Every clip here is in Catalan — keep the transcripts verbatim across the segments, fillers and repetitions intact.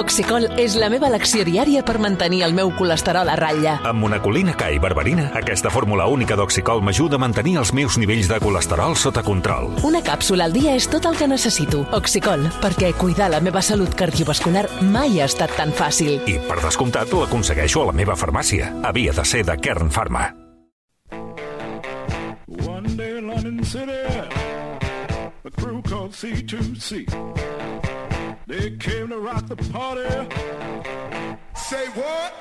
Oxicol és la meva elecció diària per mantenir el meu colesterol a ratlla. Amb monacolina K i berberina, aquesta fórmula única d'Oxicol m'ajuda a mantenir els meus nivells de colesterol sota control. Una càpsula al dia és tot el que necessito. Oxicol, perquè cuidar la meva salut cardiovascular mai ha estat tan fàcil. I, per descomptat, l'aconsegueixo a la meva farmàcia. Havia de ser de Kern Pharma. One day in London City, a crew called C two C. They came to rock the party. Say what?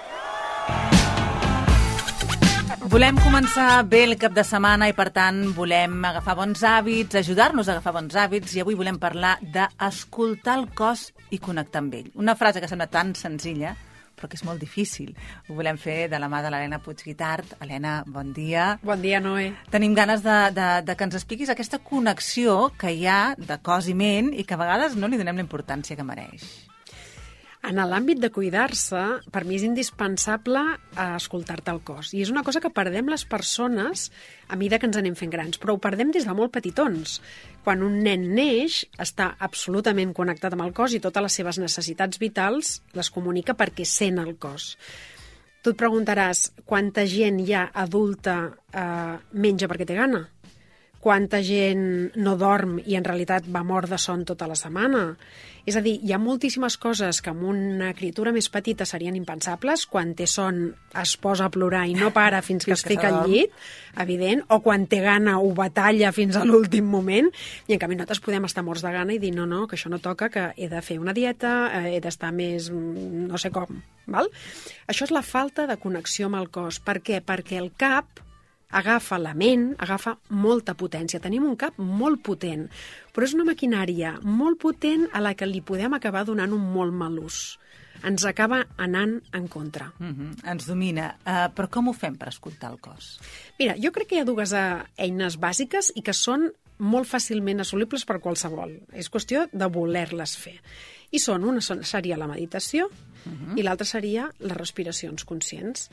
Volem començar bé el cap de setmana i, per tant, volem agafar bons hàbits, ajudar-nos a agafar bons hàbits, i avui volem parlar d'escoltar el cos i connectar amb ell. Una frase que sembla tan senzilla, però que és molt difícil. Ho volem fer de la mà de l'Helena Puig-Guitart. Helena, bon dia. Bon dia, Noé. Tenim ganes de, de, de que ens expliquis aquesta connexió que hi ha de cos i ment i que a vegades no li donem la importància que mereix. En l'àmbit de cuidar-se, per mi és indispensable escoltar-te el cos. I és una cosa que perdem les persones a mesura que ens anem fent grans, però ho perdem des de molt petitons. Quan un nen neix, està absolutament connectat amb el cos i totes les seves necessitats vitals les comunica perquè sent el cos. Tu et preguntaràs, quanta gent ja adulta eh, menja perquè té gana? Quanta gent no dorm i en realitat va mort de son tota la setmana? És a dir, hi ha moltíssimes coses que amb una criatura més petita serien impensables. Quan té son es posa a plorar i no para fins que es fica al llit, evident, o quan té gana ho batalla fins a l'últim moment, i en canvi nosaltres podem estar morts de gana i dir no, no, que això no toca, que he de fer una dieta, eh, he d'estar més no sé com. Val? Això és la falta de connexió amb el cos. Per què? Perquè el cap agafa la ment, agafa molta potència. Tenim un cap molt potent, però és una maquinària molt potent a la que li podem acabar donant un molt mal ús. Ens acaba anant en contra. Mm-hmm. Ens domina. Uh, però com ho fem per escoltar el cos? Mira, jo crec que hi ha dues uh, eines bàsiques i que són molt fàcilment assolibles per qualsevol. És qüestió de voler-les fer. I són, una seria la meditació mm-hmm. i l'altra seria les respiracions conscients.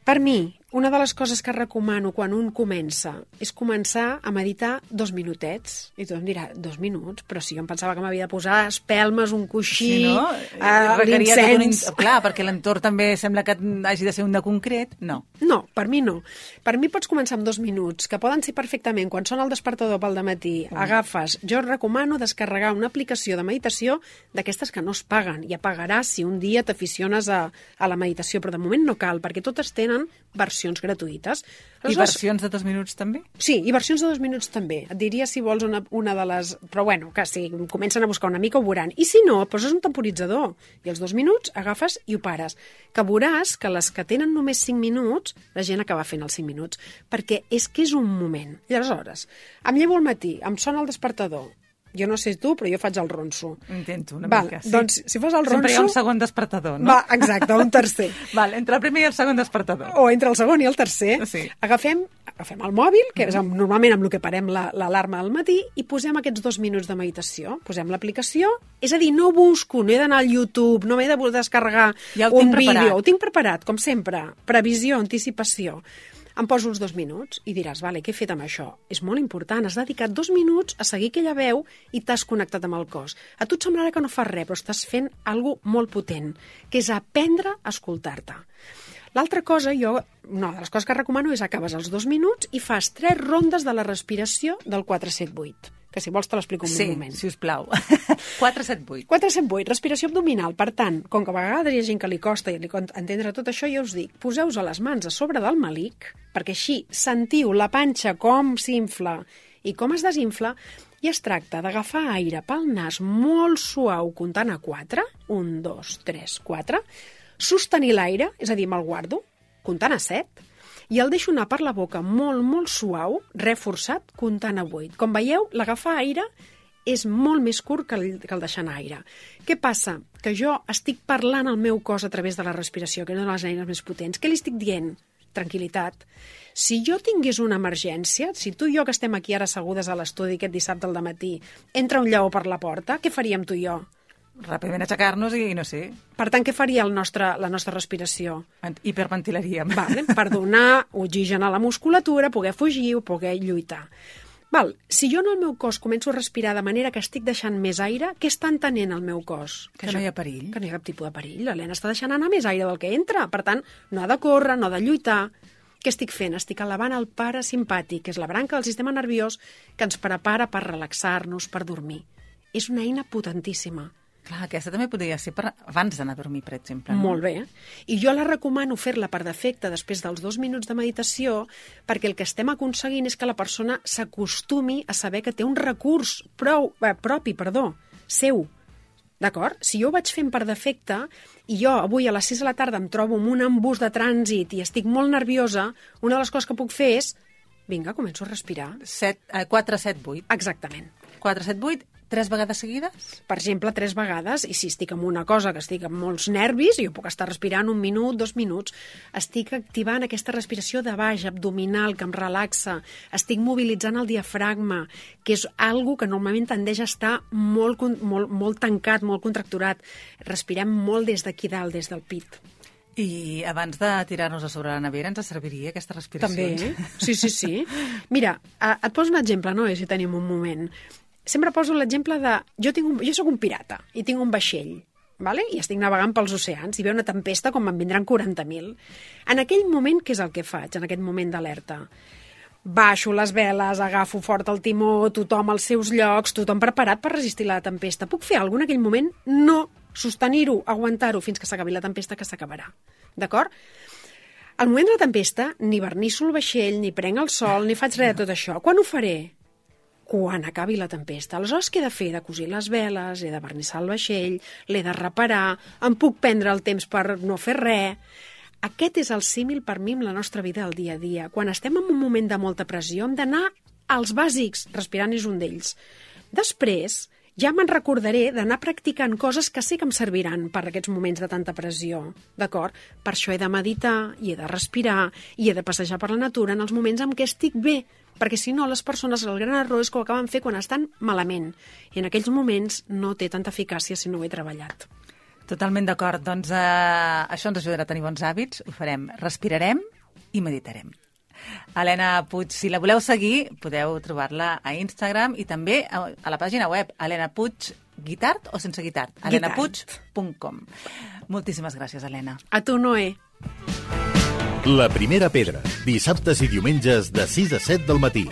Per mi, una de les coses que recomano quan un comença és començar a meditar dos minutets. I tothom dirà, dos minuts? Però si jo em pensava que m'havia de posar espelmes, un coixí, sí, no? uh, l'incens... Un... Clar, perquè l'entorn també sembla que hagi de ser un de concret. No. No, per mi no. Per mi pots començar amb dos minuts, que poden ser perfectament, quan sona el despertador pel dematí, mm. agafes... Jo recomano descarregar una aplicació de meditació d'aquestes que no es paguen, i apagaràs si un dia t'aficiones a, a la meditació, però de moment no cal, perquè totes tenen versions gratuïtes. I versions de dos minuts també? Sí, i versions de dos minuts també. Et diria si vols una, una de les... Però bueno, que si comencen a buscar una mica ho veuran. I si no, poses un temporitzador. I els dos minuts agafes i ho pares. Que veuràs que les que tenen només cinc minuts, la gent acaba fent els cinc minuts. Perquè és que és un moment. I aleshores, em llevo al matí, em sona el despertador. Jo no sé tu, però jo faig el ronso. Intento, una Val, mica, sí. Doncs, si fas el ronso... Sempre hi ha un segon despertador, no? Va, exacte, un tercer. Val, entre el primer i el segon despertador. O entre el segon i el tercer, sí. agafem, agafem el mòbil, que és amb, normalment amb el que parem l'alarma la, al matí, i posem aquests dos minuts de meditació. Posem l'aplicació, és a dir, no busco, no he d'anar al YouTube, no m'he de descarregar ja un vídeo. Ho tinc preparat, com sempre. Previsió, anticipació. Em poso els dos minuts i diràs, vale, què he fet amb això? És molt important, has dedicat dos minuts a seguir aquella veu i t'has connectat amb el cos. A tu et semblarà que no fas res, però estàs fent alguna cosa molt potent, que és aprendre a escoltar-te. L'altra cosa, jo, una de les coses que recomano és acabes els dos minuts i fas tres rondes de la respiració del quatre set vuit. Que si vols te l'explico en sí, un moment. Sí, sisplau. quatre set vuit. quatre set vuit, respiració abdominal. Per tant, com que a vegades hi ha gent que li costa i li entendre tot això, jo us dic, poseu-vos les mans a sobre del melic, perquè així sentiu la panxa com s'infla i com es desinfla, i es tracta d'agafar aire pel nas molt suau, comptant a quatre, un, dos, tres, quatre, sostenir l'aire, és a dir, me'l guardo, comptant a set, i el deixo anar per la boca molt, molt suau, reforçat, comptant a vuit. Com veieu, l'agafar aire és molt més curt que el, que el deixar anar aire. Què passa? Que jo estic parlant al meu cos a través de la respiració, que és una de les eines més potents. Què li estic dient? Tranquil·litat. Si jo tingués una emergència, si tu i jo que estem aquí ara assegudes a l'estudi aquest dissabte al dematí, entra un lleó per la porta, què faríem tu i jo? Ràpidament aixecar-nos i no sé. Per tant, què faria el nostre, la nostra respiració? Hiperventilaríem. Vale, per donar oxigen a la musculatura, poder fugir o poder lluitar. Val, si jo en el meu cos començo a respirar de manera que estic deixant més aire, què està entenent el meu cos? Que, que no hi ha perill. Que no hi ha cap tipus de perill. L'Helena està deixant anar més aire del que entra. Per tant, no ha de córrer, no ha de lluitar. Què estic fent? Estic elevant el parasimpàtic, que és la branca del sistema nerviós que ens prepara per relaxar-nos, per dormir. És una eina potentíssima. Clar, aquesta també podria ser per abans d'anar a dormir, per exemple. No? Molt bé. I jo la recomano fer-la per defecte després dels dos minuts de meditació, perquè el que estem aconseguint és que la persona s'acostumi a saber que té un recurs prou, eh, propi, perdó, seu. D'acord? Si jo ho vaig fent per defecte i jo avui a les sis de la tarda em trobo amb un embús de trànsit i estic molt nerviosa, una de les coses que puc fer és, vinga, començo a respirar. quatre, set, vuit. Exactament. quatre, set, vuit, tres vegades seguides? Per exemple, tres vegades, i si estic amb una cosa que estic amb molts nervis, jo puc estar respirant un minut, dos minuts, estic activant aquesta respiració de baix, abdominal, que em relaxa, estic mobilitzant el diafragma, que és algo que normalment tendeix a estar molt, molt, molt tancat, molt contracturat. Respirem molt des d'aquí dalt, des del pit. I abans de tirar-nos a sobre la nevera ens serviria aquesta respiració? També, sí, sí, sí. Mira, et poso un exemple, no? Si tenim un moment. Sempre poso l'exemple de... Jo, tinc un, jo soc un pirata i tinc un vaixell, vale? I estic navegant pels oceans i ve una tempesta com en vindran quaranta mil. En aquell moment, què és el que faig, en aquest moment d'alerta? Baixo les veles, agafo fort el timó, tothom als seus llocs, tothom preparat per resistir la tempesta. Puc fer alguna cosa en aquell moment? No. Sostenir-ho, aguantar-ho fins que s'acabi la tempesta, que s'acabarà. D'acord? Al moment de la tempesta, ni vernisso el vaixell, ni prenc el sol, ni faig res de tot això. Quan ho faré? Quan acabi la tempesta. Aleshores, què he de fer? He de cosir les veles, he de vernissar el vaixell, l'he de reparar, em puc prendre el temps per no fer res. Aquest és el símil per mi amb la nostra vida al dia a dia. Quan estem en un moment de molta pressió, hem d'anar als bàsics, respirant és un d'ells. Després, ja me'n recordaré d'anar practicant coses que sé que em serviran per aquests moments de tanta pressió, d'acord? Per això he de meditar, i he de respirar, i he de passejar per la natura en els moments en què estic bé, perquè si no, les persones, el gran error és que ho acaben fer quan estan malament, i en aquells moments no té tanta eficàcia si no ho he treballat. Totalment d'acord. Doncs eh, això ens ajudarà a tenir bons hàbits, ho farem. Respirarem i meditarem. Helena Puig, si la voleu seguir, podeu trobar-la a Instagram i també a, a la pàgina web Helena Puig, guitart o sense guitart? helena puig punt com. Moltíssimes gràcies, Helena. A tu, Noé. La primera pedra, dissabtes i diumenges de sis a set del matí.